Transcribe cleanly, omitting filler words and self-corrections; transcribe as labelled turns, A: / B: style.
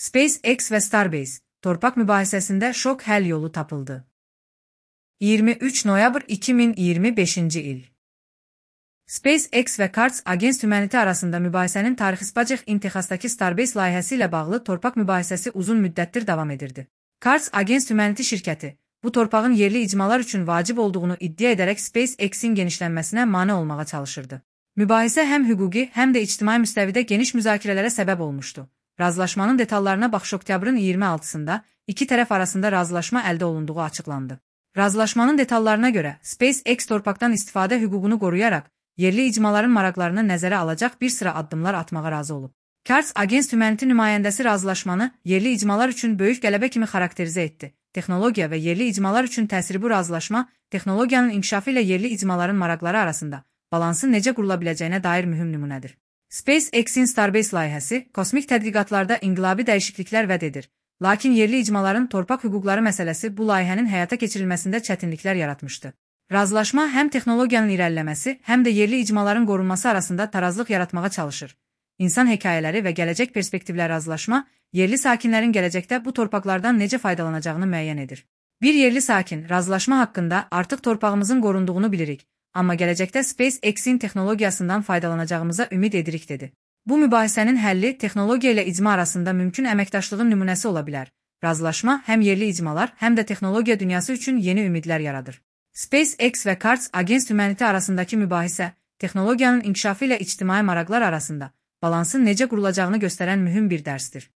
A: SpaceX ve Starbase, torpak mübahisesinde şok hel yolu tapıldı. 23 noyabr 2025 il. SpaceX ve Cards Against Humanity arasında mübahisenin tarixisbacıq in Texasdakı Starbase layihəsi ilə bağlı torpaq mübahisəsi uzun müddətdir davam edirdi. Cards Against Humanity şirkəti, bu torpağın yerli icmalar üçün vacib olduğunu iddia edərək SpaceX-in genişlənməsinə mane olmağa çalışırdı. Mübahisə həm hüquqi, həm də ictimai müstəvidə geniş müzakirələrə səbəb olmuşdu. Razılaşmanın detallarına baxış oktyabrın 26-sında iki tərəf arasında razılaşma əldə olunduğu açıqlandı. Razılaşmanın detallarına görə SpaceX torpaqdan istifadə hüququnu qoruyaraq yerli icmaların maraqlarını nəzərə alacaq bir sıra addımlar atmağa razı olub. Cards Against Humanity nümayəndəsi razılaşmanı yerli icmalar üçün böyük qələbə kimi xarakterizə etdi. Texnologiya və yerli icmalar üçün təsiri bu razılaşma, texnologiyanın inkişafı ilə yerli icmaların maraqları arasında balansın necə qurula biləcəyinə dair mühüm nümunədir. SpaceX-in Starbase layihəsi kosmik tədqiqatlarda inqilabi dəyişikliklər vəd edir. Lakin yerli icmaların torpaq hüquqları məsələsi bu layihənin həyata keçirilməsində çətinliklər yaratmışdı. Razılaşma həm texnologiyanın irəliləməsi, həm də yerli icmaların qorunması arasında tarazlıq yaratmağa çalışır. İnsan hekayələri və gələcək perspektivlər razılaşma, yerli sakinlərin gələcəkdə bu torpaqlardan necə faydalanacağını müəyyən edir. Bir yerli sakin razılaşma haqqında artıq torpağımızın qorunduğunu bilirik, amma gələcəkdə SpaceX-in texnologiyasından faydalanacağımıza ümid edirik dedi. Bu mübahisənin həlli texnologiya ilə icma arasında mümkün əməkdaşlığın nümunəsi ola bilər. Razılaşma həm yerli icmalar, həm də texnologiya dünyası üçün yeni ümidlər yaradır. SpaceX və Cards Against Humanity arasındakı mübahisə, texnologiyanın inkişafı ilə ictimai maraqlar arasında balansın necə qurulacağını göstərən mühüm bir dərsdir.